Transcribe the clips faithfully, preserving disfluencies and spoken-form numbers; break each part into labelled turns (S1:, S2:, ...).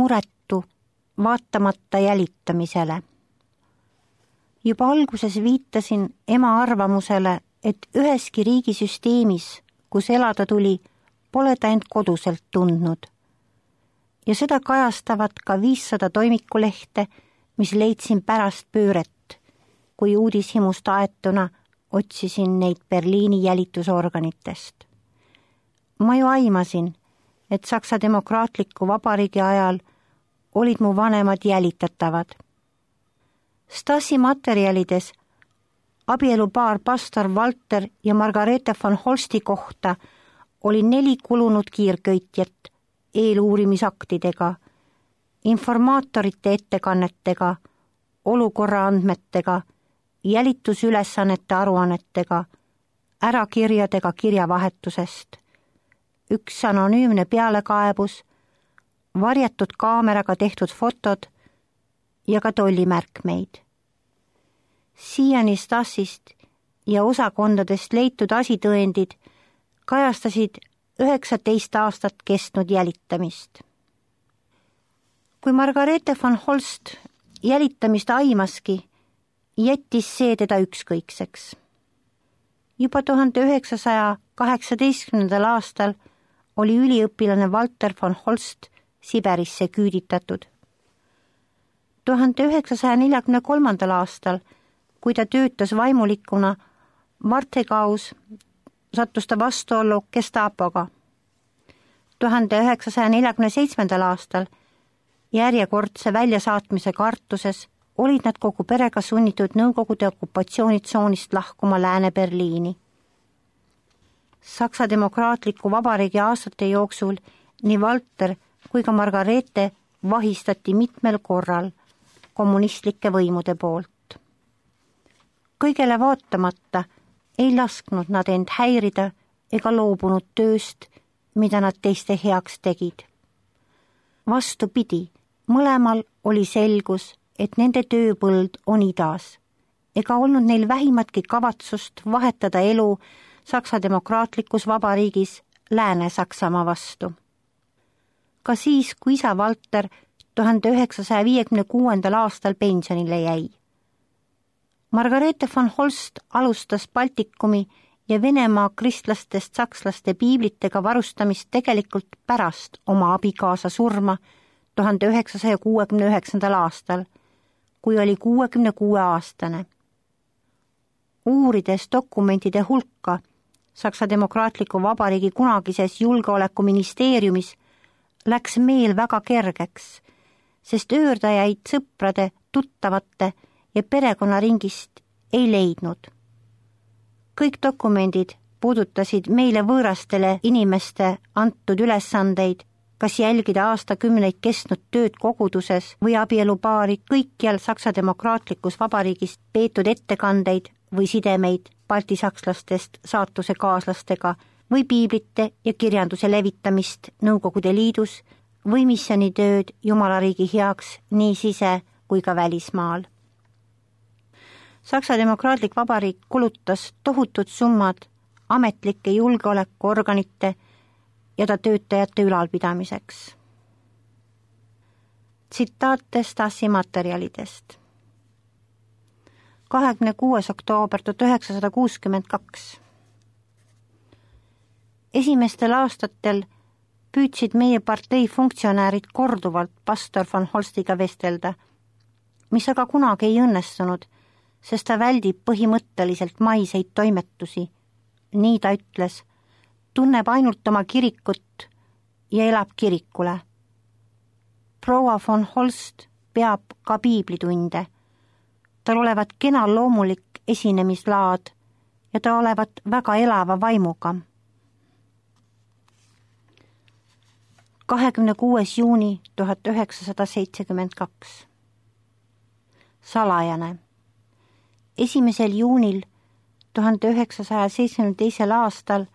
S1: muretu, vaatamata jälitamisele. Juba alguses viitasin ema arvamusele, et üheski riigisüsteemis, kus elada tuli, pole ta end koduselt tundnud. Ja seda kajastavad ka viissada toimikulehte, mis leidsin pärast pööret, kui uudishimust aetuna otsisin neid Berliini jälitusorganitest. Ma ju aimasin, et Saksa Demokraatliku Vabariigi ajal olid mu vanemad jälitatavad. Stasi materjalides abielupaar pastor Walter ja Margarete von Holsti kohta oli neli kulunud kiirköitjat eeluurimisaktidega, informaatorite ettekannetega, olukorra andmetega, jälitusülesannete aruannetega, ärakirjadega kirjavahetusest, üks anonüümne pealekaebus, varjatud kaameraga tehtud fotod ja ka tollimärkmeid. Siiani Stasist ja osakondadest leitud asitõendid kajastasid üheksateist aastat kestnud jälitamist. Kui Margarete von Holst jälitamist aimaski, jättis see teda ükskõikseks. Juba tuhande üheksasaja kaheksateistkümnendal aastal oli üliõpilane Walter von Holst Siberisse küüditatud. tuhande üheksasaja neljakümne kolmandal aastal, kui ta töötas vaimulikuna Vartegaus, sattus ta vastuollu Gestapoga. tuhande üheksasaja neljakümne seitsmendal aastal järjekordse väljasaatmise kartuses olid nad kogu perega sunnitud Nõukogude okupatsioonitsoonist lahkuma Lääne-Berliini. Saksa Demokraatliku Vabariigi aastate jooksul nii Walter kui ka Margarete vahistati mitmel korral kommunistlike võimude poolt. Kõigele vaatamata ei lasknud nad end häirida ega loobunud tööst, mida nad teiste heaks tegid. Vastupidi, mõlemal oli selgus, et nende tööpõld on idas, ega olnud neil vähimatki kavatsust vahetada elu Saksa Demokraatlikus Vabariigis Lääne-Saksamaa vastu. Ka siis, kui isa Walter tuhande üheksasaja viiekümne kuuendal aastal pensionile jäi. Margarete von Holst alustas Baltikumi ja Venemaa kristlastest sakslaste piiblitega varustamist tegelikult pärast oma abikaasa surma tuhande üheksasaja kuuekümne üheksandal aastal, kui oli kuuekümne kuue aastane. Uurides dokumentide hulka Saksa Demokraatliku Vabariigi kunagises julgeolekuministeeriumis läks meel väga kergeks, sest öördajaid sõprade, tuttavate ja perekonnaringist ei leidnud. Kõik dokumendid puudutasid meile võõrastele inimeste antud ülesandeid, kas jälgida aastakümneid kestnud tööd koguduses või abielupaari kõikjal Saksa Demokraatlikus Vabariigis peetud ettekandeid või sidemeid baltisakslastest saatuse kaaslastega või piiblite ja kirjanduse levitamist Nõukogude Liidus või missioonitööd Jumalariigi heaks nii sise- kui ka välismaal. Saksa Demokraatlik Vabariik kulutas tohutud summad ametlike julgeolekuorganite ja ta töötajate ülalpidamiseks. Tsitaate Stasi materjalidest. kahekümne kuues oktoober tuhat üheksasada kuuskümmend kaks. Esimestel aastatel püüdsid meie partei funktsionäärid korduvalt pastor von Holstiga vestelda, mis aga kunagi ei õnnestunud, sest ta väldib põhimõtteliselt maiseid toimetusi. Nii ta ütles, tunneb ainult oma kirikut ja elab kirikule. Proua von Holst peab ka piiblitunde. Tal olevat kena loomulik esinemislaad ja ta olevat väga elava vaimuga. kahekümne kuues juuni tuhat üheksasada seitsekümmend kaks. Salajane. Esimesel juunil tuhande üheksasaja seitsmekümne teisel aastal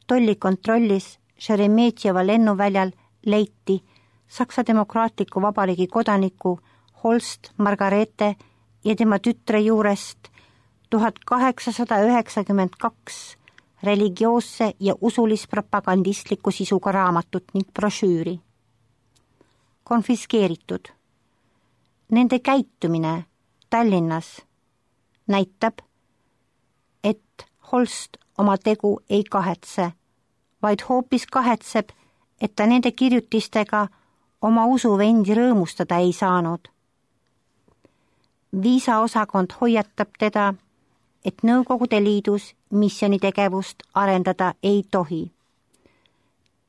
S1: tollikontrollis Šeremetjeva lennuväljal leiti Saksa Demokraatliku Vabariigi kodaniku Holst Margarete ja tema tütre juurest tuhat kaheksasada üheksakümmend kaks religioosse ja usulispropagandistliku sisuga raamatut ning brošüüri. konfiskeeritud. Nende käitumine Tallinnas näitab, et Holst oma tegu ei kahetse, vaid hoopis kahetseb, et ta nende kirjutistega oma usuvendi rõõmustada ei saanud. Viisaosakond hoiatab teda, et Nõukogude Liidus missionitegevust arendada ei tohi.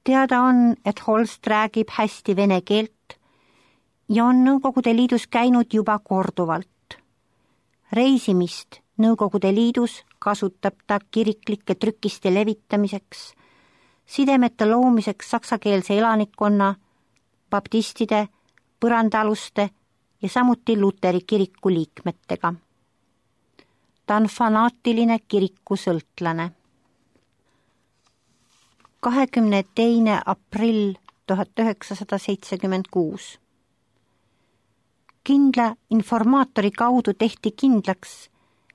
S1: Teada on, et Holst räägib hästi vene keelt ja on Nõukogude Liidus käinud juba korduvalt. Reisimist Nõukogude Liidus kasutab ta kiriklike trükiste levitamiseks, sidemete loomiseks saksakeelse elanikkonna, baptistide, põrandaaluste ja samuti Luteri kiriku liikmetega. Ta on fanaatiline kirikusõltlane. kahekümne teine aprill tuhat üheksasada seitsekümmend kuus. Kindla informaatori kaudu tehti kindlaks,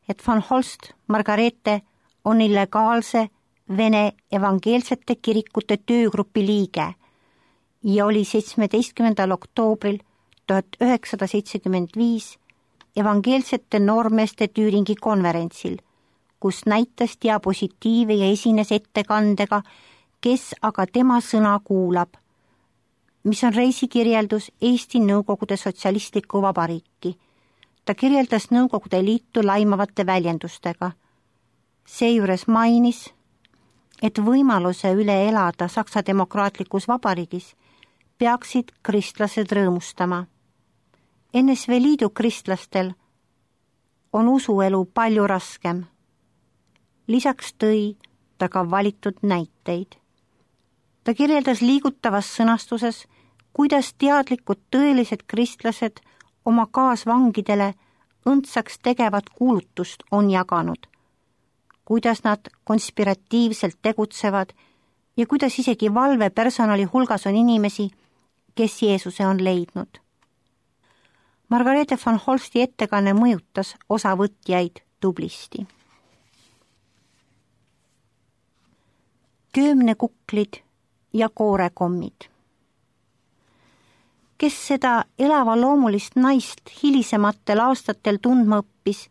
S1: et von Holst Margarete on illegaalse Vene evangeelsete kirikute töögrupi liige ja oli seitsmeteistkümnendal oktoobril tuhat üheksasada seitsekümmend viis evangeelsete noormeeste Tüüringi konverentsil, kus näitas diapositiive ja esines ettekandega, kes aga tema sõna kuulab, mis on reisikirjeldus Eesti Nõukogude Sotsialistlikku Vabariiki. Ta kirjeldas Nõukogude Liitu laimavate väljendustega. Seejuures mainis, et võimaluse üle elada Saksa demokraatlikus vabariigis peaksid kristlased rõõmustama. N S V Liidu kristlastel on usuelu palju raskem. Lisaks tõi ta ka valitud näiteid. Ta kirjeldas liigutavas sõnastuses, kuidas teadlikud tõelised kristlased oma kaasvangidele õndsaks tegevat kuulutust on jaganud, kuidas nad konspiratiivselt tegutsevad ja kuidas isegi valvepersonali hulgas on inimesi, kes Jeesuse on leidnud. Margarete von Holsti ettekanne mõjutas osavõtjaid tublisti. Köömnekuklid ja koorekommid. Kes seda elava loomulist naist hilisematel aastatel tundma õppis,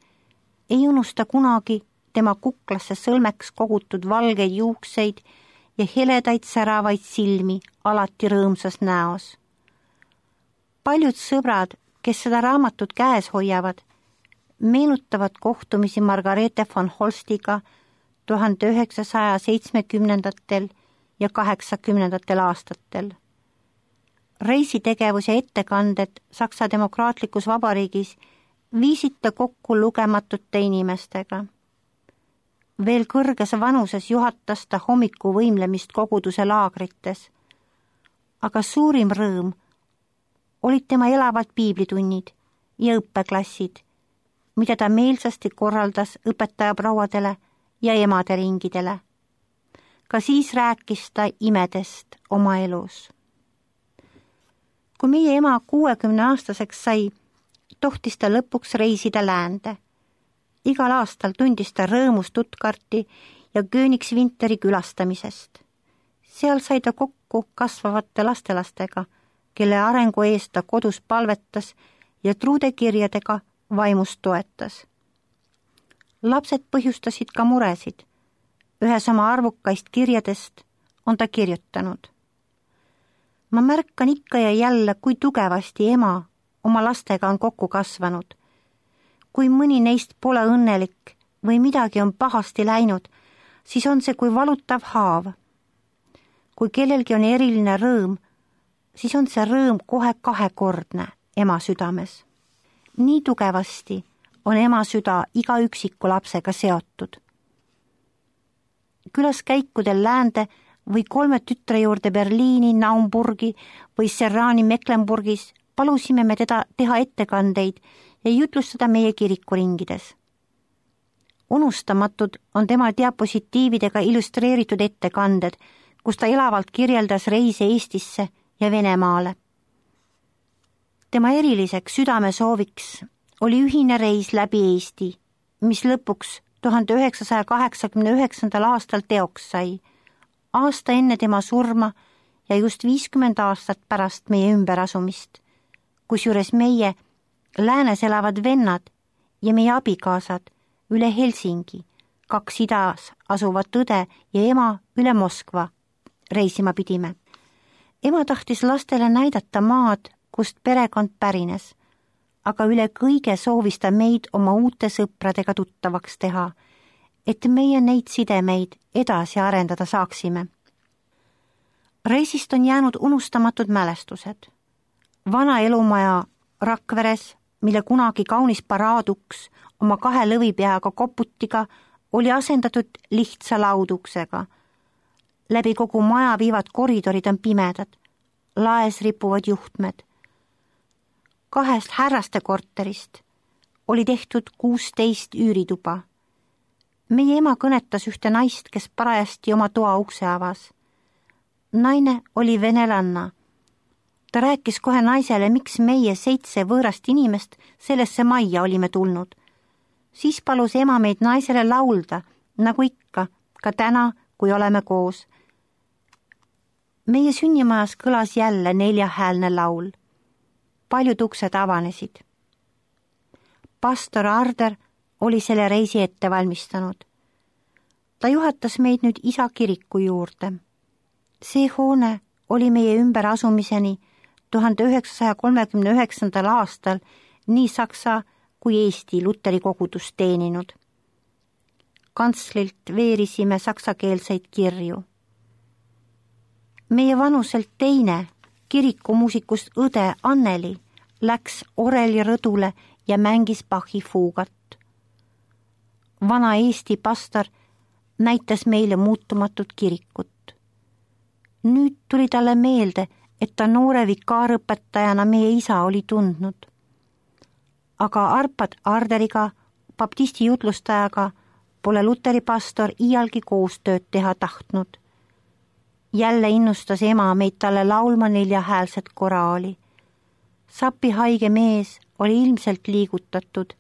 S1: ei unusta kunagi tema kuklasse sõlmeks kogutud valgeid juukseid ja heledaid säravaid silmi alati rõõmsas näos. Paljud sõbrad, kes seda raamatut käes hoiavad, meenutavad kohtumisi Margarete von Holstiga tuhande üheksasaja seitsmekümnendatel ja kaheksakümnendatel aastatel. Reisitegevus ja ettekanded Saksa demokraatlikus vabariigis viisid ta kokku lugematute inimestega. Veel kõrges vanuses juhatas ta hommiku võimlemist koguduse laagrites, aga suurim rõõm olid tema elavad piiblitunnid ja õppeklassid, mida ta meelsasti korraldas õpetajaprouadele ja emaderingidele. Ka siis rääkis ta imedest oma elus. Kui meie ema kuuekümne aastaseks sai, tohtis ta lõpuks reisida läände. Igal aastal tundis ta rõõmu Stuttgarti ja Königswinteri külastamisest. Seal sai ta kokku kasvavate lastelastega, kelle arengu eest ta kodus palvetas ja truudekirjadega vaimust toetas. Lapsed põhjustasid ka muresid. Ühes oma arvukaist kirjadest on ta kirjutanud. Ma märkan ikka ja jälle, kui tugevasti ema oma lastega on kokku kasvanud. Kui mõni neist pole õnnelik või midagi on pahasti läinud, siis on see kui valutav haav. Kui kellelgi on eriline rõõm, siis on see rõõm kohe kahekordne ema südames. Nii tugevasti on ema süda iga üksiku lapsega seotud. Külaskäikudel läände või kolme tütre juurde Berliini, Naumburgi või Serrani Mecklenburgis palusime me teda teha ettekandeid ja jutlustada meie kirikuringides. Unustamatud on tema diapositiividega illustreeritud ettekanded, kus ta elavalt kirjeldas reise Eestisse ja Venemaale. Tema eriliseks südamesooviks oli ühine reis läbi Eesti, mis lõpuks tuhande üheksasaja kaheksakümne üheksandal aastal teoks sai, aasta enne tema surma ja just viiskümmend aastat pärast meie ümberasumist, kusjuures meie läänes elavad vennad ja meie abikaasad üle Helsingi, kaks idas asuvat õde ja ema üle Moskva reisima pidime. Ema tahtis lastele näidata maad, kust perekond pärines, aga üle kõige soovis ta meid oma uute sõpradega tuttavaks teha, et meie neid sidemeid edasi arendada saaksime. Reisist on jäänud unustamatud mälestused. Vana elumaja Rakveres, mille kunagi kaunis paraaduks oma kahe lõvipeaga koputiga oli asendatud lihtsa lauduksega. Läbi kogu maja viivad koridorid on pimedad, laes ripuvad juhtmed. Kahest härraste korterist oli tehtud kuusteist üürituba. Meie ema kõnetas ühte naist, kes parajasti oma toa ukse avas. Naine oli venelanna. Ta rääkis kohe naisele, miks meie seitse võõrast inimest sellesse majja olime tulnud. Siis palus ema meid naisele laulda, nagu ikka, ka täna, kui oleme koos. Meie sünnimajas kõlas jälle neljahäälne laul. Paljud uksed avanesid. Pastor Arder oli selle reisi ette valmistanud. Ta juhatas meid nüüd isa kiriku juurde. See hoone oli meie ümberasumiseni tuhande üheksasaja kolmekümne üheksandal aastal nii Saksa kui Eesti Luteri kogudust teeninud. Kantslilt veerisime saksakeelseid kirju. Meie vanuselt teine kirikumuusikust õde Anneli läks oreli rõdule ja mängis Bachi fuugat. Vana Eesti pastor näitas meile muutumatut kirikut. Nüüd tuli talle meelde, et ta noore vikaarõpetajana meie isa oli tundnud. Aga Arpad Arderiga, baptisti jutlustajaga, pole Luteri pastor iialgi koostööd teha tahtnud. Jälle innustas ema meid talle laulma neljahäälset koraali. Sapi haige mees oli ilmselt liigutatud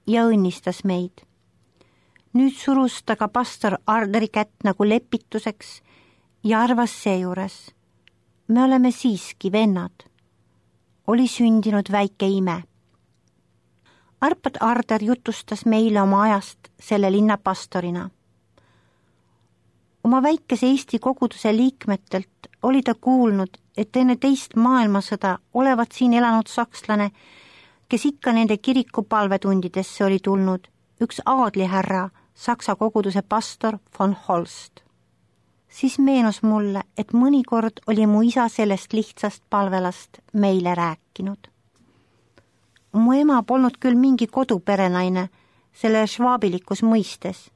S1: ja õnnistas meid. Nüüd surus ta ka pastor Arderi kätt nagu lepituseks ja arvas seejuures. Me oleme siiski vennad. Oli sündinud väike ime. Arpad Arder jutustas meile oma ajast selle linna pastorina. Oma väikese Eesti koguduse liikmetelt oli ta kuulnud, et enne teist maailmasõda olevat siin elanud sakslane, kes ikka nende kiriku palvetundidesse oli tulnud, üks aadlihärra, Saksa koguduse pastor von Holst. Siis meenus mulle, et mõnikord oli mu isa sellest lihtsast palvelast meile rääkinud. Mu ema polnud küll mingi koduperenaine selle švaabilikus mõistes.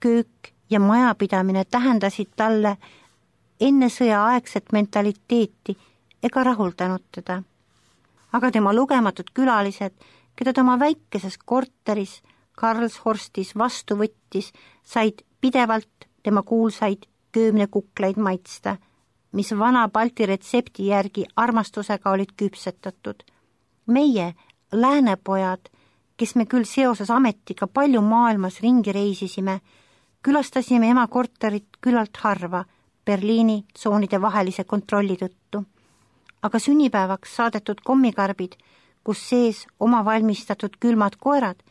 S1: Köök ja majapidamine tähendasid talle enne sõjaaegset mentaliteeti ega rahuldanud teda. Aga tema lugematud külalised, keda ta oma väikeses korteris Karlshorstis vastu võttis, said pidevalt tema kuulsaid köömnekuklaid maitsta, mis vana Balti retsepti järgi armastusega olid küpsetatud. Meie, läänepojad, kes me küll seoses ametiga palju maailmas ringi reisisime, külastasime ema korterit küllalt harva Berliini tsoonide vahelise kontrolli tõttu. Aga sünnipäevaks saadetud kommikarbid, kus sees oma valmistatud külmad koerad,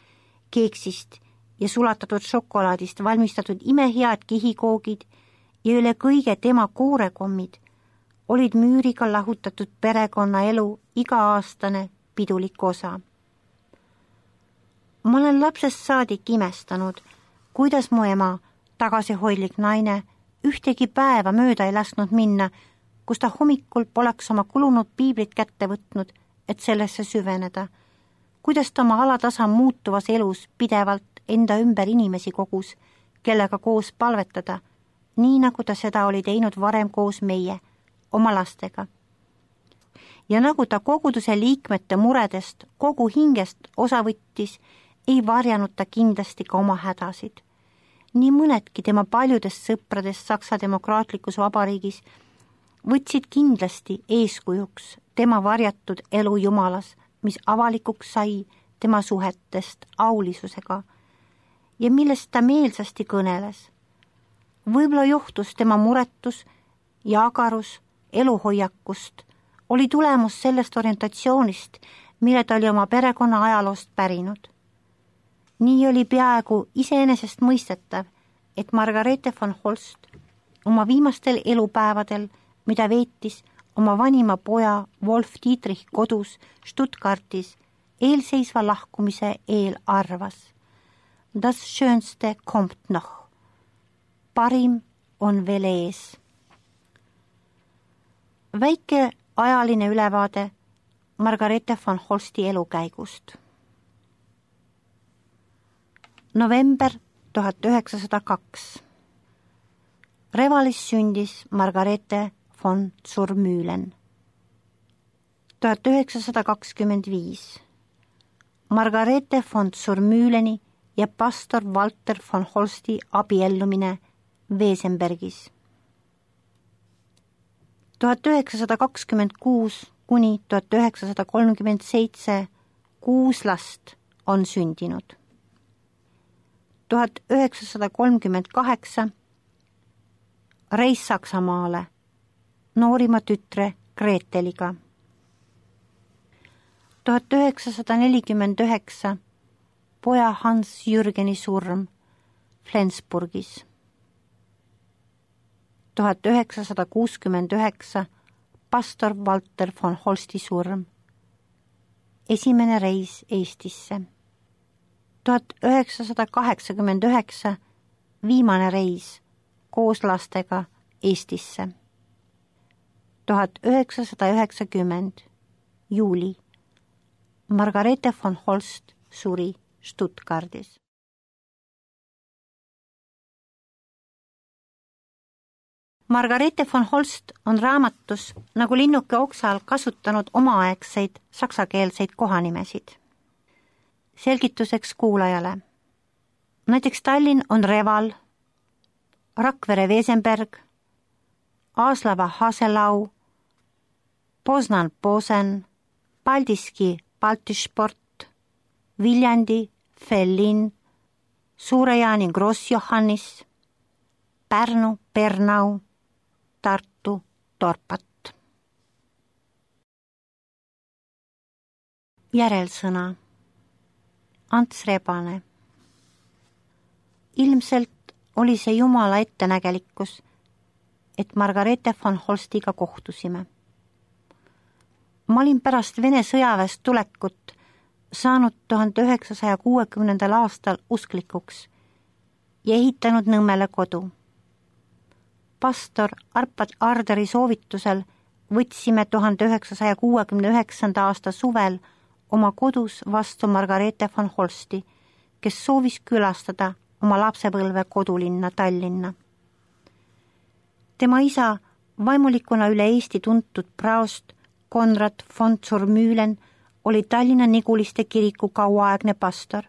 S1: keeksist ja sulatatud šokolaadist valmistatud imehead kihikoogid ja üle kõige tema koorekommid olid müüriga lahutatud perekonna elu iga-aastane pidulik osa. Ma olen lapsest saadik imestanud, kuidas mu ema, tagasihoidlik naine, ühtegi päeva mööda ei lasknud minna, kus ta hommikul poleks oma kulunud piiblit kätte võtnud, et sellesse süveneda. Kuidas ta oma alatasa muutuvas elus pidevalt enda ümber inimesi kogus, kellega koos palvetada, nii nagu ta seda oli teinud varem koos meie, oma lastega. Ja nagu ta koguduse liikmete muredest kogu hingest osa võttis, ei varjanud ta kindlasti ka oma hädasid. Nii mõnedki tema paljudest sõpradest Saksa demokraatlikus vabariigis võtsid kindlasti eeskujuks tema varjatud elu Jumalas, mis avalikuks sai tema suhetest aulisusega ja millest ta meelsasti kõneles. Võib-olla johtus tema muretus ja agarus eluhoiakust oli tulemus sellest orientatsioonist, mille ta oli oma perekonna ajaloost pärinud. Nii oli peaaegu iseenesest mõistetav, et Margarethe von Holst oma viimastel elupäevadel, mida veetis oma vanima poja Wolf Dietrich kodus Stuttgartis eelseisva lahkumise eel arvas. Das Schönste kommt noch. Parim on veel ees. Väike ajaline ülevaade Margarethe von Holsti elukäigust. November tuhat üheksasada kaks. Revalis sündis Margarethe von Zurmühlen. tuhat üheksasada kakskümmend viis. Margarethe von Zurmühleni ja pastor Walter von Holsti abiellumine Wesenbergis. tuhat üheksasada kakskümmend kuus kuni tuhat üheksasada kolmkümmend seitse kuus last on sündinud. tuhat üheksasada kolmkümmend kaheksa reis Saksamaale noorima tütre Greteliga. tuhat üheksasada nelikümmend üheksa poja Hans Jürgeni surm Flensburgis. tuhat üheksasada kuuskümmend üheksa pastor Walter von Holsti surm. Esimene reis Eestisse. tuhat üheksasada kaheksakümmend üheksa viimane reis koos lastega Eestisse. tuhat üheksasada üheksakümmend juuli Margarethe von Holst suri Stuttgardis. Margarethe von Holst on raamatus nagu linnuke oksal kasutanud omaaegseid saksakeelseid kohanimesid. Selgituseks kuulajale. Näiteks Tallinn on Reval, Rakvere Wesenberg, Aaslava Haselau, Poznan Posen, Paldiski Baltisport, Viljandi Fellin, Suure-Jaani Gross-Johannis, Pärnu Pernau, Tartu Torpat. Järelsõna. Ants Rebane. Ilmselt oli see Jumala ettenägelikkus, et Margarethe von Holstiga kohtusime. Ma olin pärast Vene sõjaväest tulekut saanud tuhande üheksasaja kuuekümnendal aastal usklikuks ja ehitanud Nõmmele kodu. Pastor Arpad Arderi soovitusel võtsime tuhande üheksasaja kuuekümne üheksanda aasta suvel oma kodus vastu Margarethe von Holsti, kes soovis külastada oma lapsepõlve kodulinna Tallinna. Tema isa, vaimulikuna üle Eesti tuntud praost Konrad von Zurmühlen, oli Tallinna Niguliste kiriku kauaaegne pastor,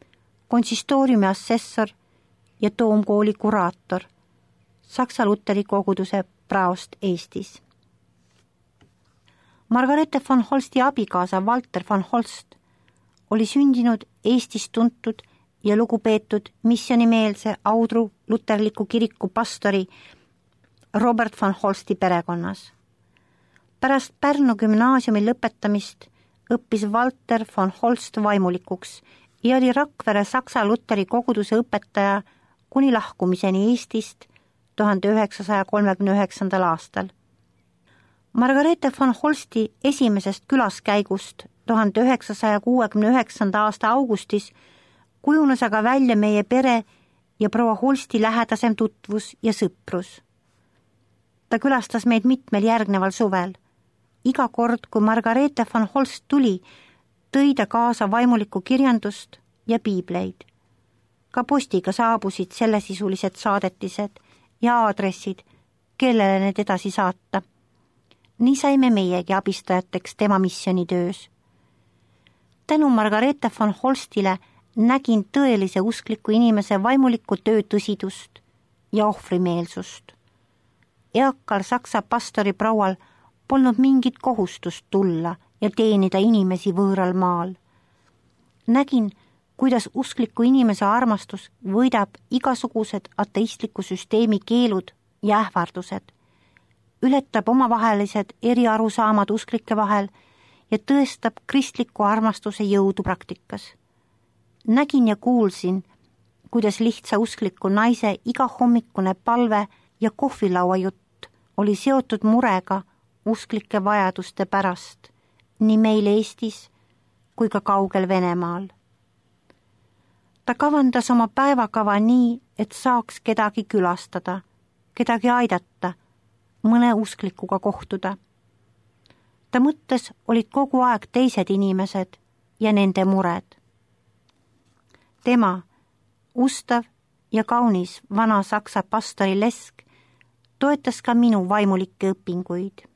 S1: konsistooriumi assessor ja toomkooli kuraator, Saksa Luteri koguduse praost Eestis. Margarethe von Holsti abikaasa Walter von Holst oli sündinud Eestis tuntud ja lugupeetud missionimeelse Audru luterliku kiriku pastori Robert von Holsti perekonnas. Pärast Pärnu gümnaasiumi lõpetamist õppis Walter von Holst vaimulikuks ja oli Rakvere Saksa Luteri koguduse õpetaja kuni lahkumiseni Eestist tuhande üheksasaja kolmekümne üheksandal aastal. Margarethe von Holsti esimesest külaskäigust tuhande üheksasaja kuuekümne üheksanda aasta augustis kujunes aga välja meie pere ja proua Holsti lähedasem tutvus ja sõprus. Ta külastas meid mitmel järgneval suvel. Iga kord, kui Margarethe von Holst tuli, tõi ta kaasa vaimulikku kirjandust ja piibleid. Ka postiga saabusid sellesisulised saadetised ja aadressid, kellele need edasi saata. Nii saime meiegi abistajateks tema missionitöös. Tänu Margarethe von Holstile nägin tõelise uskliku inimese vaimuliku töö tõsidust ja ohvrimeelsust. Eakal saksa pastori proual polnud mingit kohustust tulla ja teenida inimesi võõral maal. Nägin, kuidas uskliku inimese armastus võidab igasugused ateistliku süsteemi keelud ja ähvardused ületab omavahelised eriarusaamad usklike vahel ja tõestab kristliku armastuse jõudu praktikas. Nägin ja kuulsin, kuidas lihtsa uskliku naise igahommikune palve ja kohvilaua jutt oli seotud murega usklike vajaduste pärast nii meil Eestis kui ka kaugel Venemaal. Ta kavandas oma päevakava nii, et saaks kedagi külastada, kedagi aidata, mõne usklikuga kohtuda. Ta mõttes olid kogu aeg teised inimesed ja nende mured. Tema, ustav ja kaunis vana saksa pastori Lesk, toetas ka minu vaimulikke õpinguid.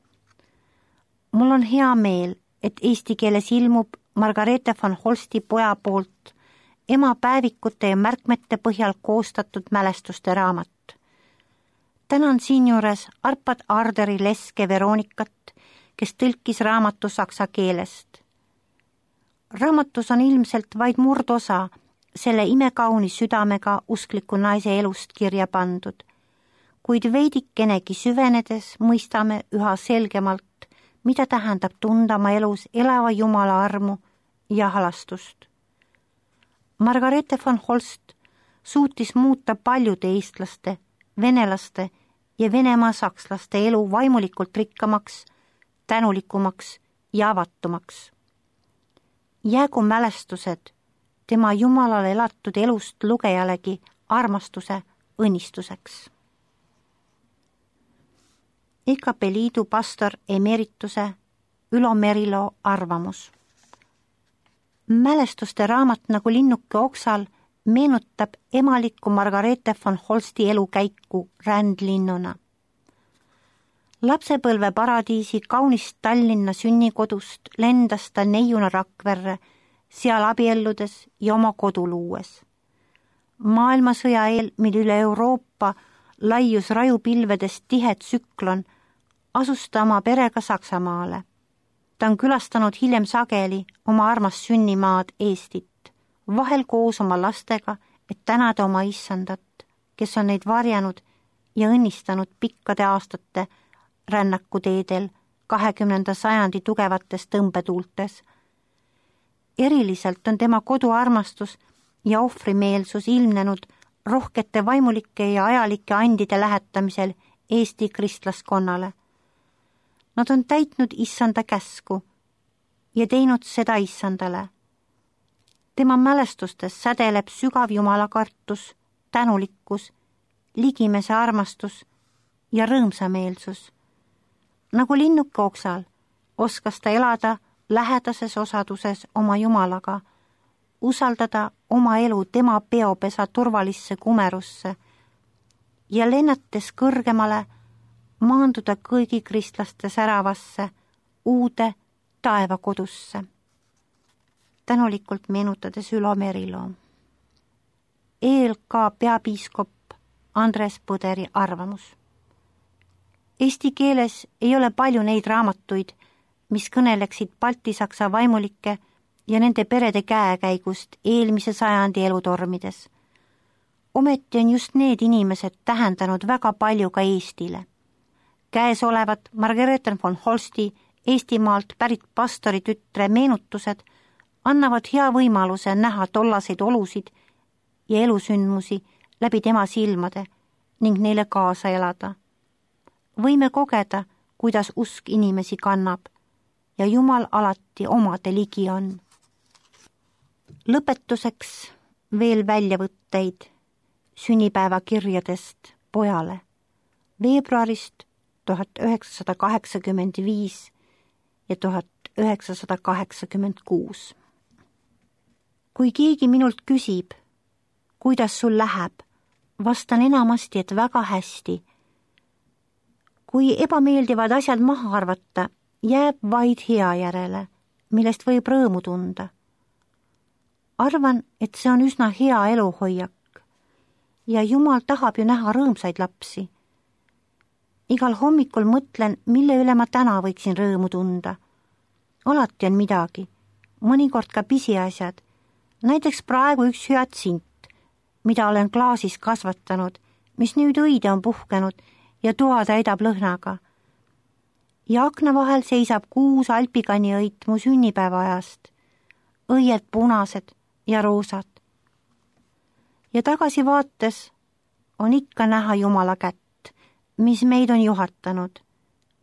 S1: Mul on hea meel, et eesti keeles ilmub Margareete von Holsti poja poolt ema päevikute ja märkmete põhjal koostatud mälestuste raamat. Tänan siinjuures Arpad Arderi Leske Veronikat, kes tõlkis raamatu saksa keelest. Raamatus on ilmselt vaid murdosa selle imekauni südamega uskliku naise elust kirja pandud, kuid veidikenegi süvenedes mõistame üha selgemalt, mida tähendab tunda oma elus elava Jumala armu ja halastust. Margareete von Holst suutis muuta paljude eestlaste, venelaste ja Venemaa sakslaste elu vaimulikult rikkamaks, tänulikumaks ja avatumaks. Jäägu mälestused tema Jumalale elatud elust lugejalegi armastuse õnnistuseks. E K P Liidu pastor emerituse Ülo Merilo arvamus. Mälestuste raamat nagu linnuke oksal meenutab emalikku Margareete von Holsti elukäiku rändlinnuna. Lapsepõlve paradiisi kaunist Tallinna sünnikodust lendas ta neiuna Rakverre, seal abielludes ja oma kodu luues. Maailmasõja eel, mil üle Euroopa laius rajupilvedest tihe tsüklon, asus ta oma perega Saksamaale. Ta on külastanud hiljem sageli oma armast sünnimaad Eestit, vahel koos oma lastega, et tänada oma issandat, kes on neid varjanud ja õnnistanud pikkade aastate rännakuteedel kahekümnenda sajandi tugevates tõmbetuultes. Eriliselt on tema koduarmastus ja ohvrimeelsus ilmnenud rohkete vaimulike ja ajalike andide lähetamisel Eesti kristlaskonnale. Nad on täitnud issanda käsku ja teinud seda issandale. Tema mälestustes sädeleb sügav jumalakartus, tänulikkus, ligimese armastus ja rõõmsameelsus. Nagu linnuke oksal oskas ta elada lähedases osaduses oma Jumalaga, usaldada oma elu tema peopesa turvalisse kumerusse ja lennates kõrgemale maanduda kõigi kristlaste säravasse uude taevakodusse. Tänulikult meenutades Ülo Merilo. E L K peapiiskop Andres Põderi arvamus. Eesti keeles ei ole palju neid raamatuid, mis kõneleksid baltisaksa vaimulike ja nende perede käekäigust eelmise sajandi elutormides. Ometi on just need inimesed tähendanud väga palju ka Eestile. Käes olevat Margareete von Holsti Eestimaalt pärit pastori tütre meenutused annavad hea võimaluse näha tollaseid olusid ja elusündmusi läbi tema silmade ning neile kaasa elada. Võime kogeda, kuidas usk inimesi kannab ja Jumal alati omade ligi on. Lõpetuseks veel väljavõtteid sünnipäevakirjadest pojale veebruarist tuhat üheksasada kaheksakümmend viis ja tuhat üheksasada kaheksakümmend kuus. Kui keegi minult küsib, kuidas sul läheb, vastan enamasti, et väga hästi. Kui ebameeldivad asjad maha arvata, jääb vaid hea järele, millest võib rõõmu tunda. Arvan, et see on üsna hea eluhoiak ja Jumal tahab ju näha rõõmsaid lapsi. Igal hommikul mõtlen, mille üle ma täna võiksin rõõmu tunda. Alati on midagi, mõnikord ka pisiasjad, näiteks praegu üks hüatsint, mida olen klaasis kasvatanud, mis nüüd õide on puhkenud ja toa täidab lõhnaga. ja akna vahel seisab kuus alpikaniõit mu sünnipäeva ajast, õied punased ja roosad. Ja tagasi vaates on ikka näha Jumala kätt, mis meid on juhatanud,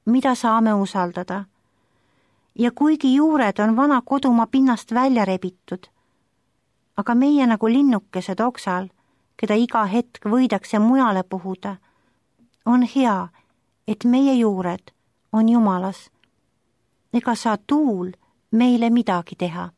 S1: mida saame usaldada. Ja kuigi juured on vana kodumaa pinnast välja rebitud, aga meie nagu linnukesed oksal, keda iga hetk võidakse mujale puhuda, on hea, et meie juured on Jumalas. Ega saa tuul meile midagi teha.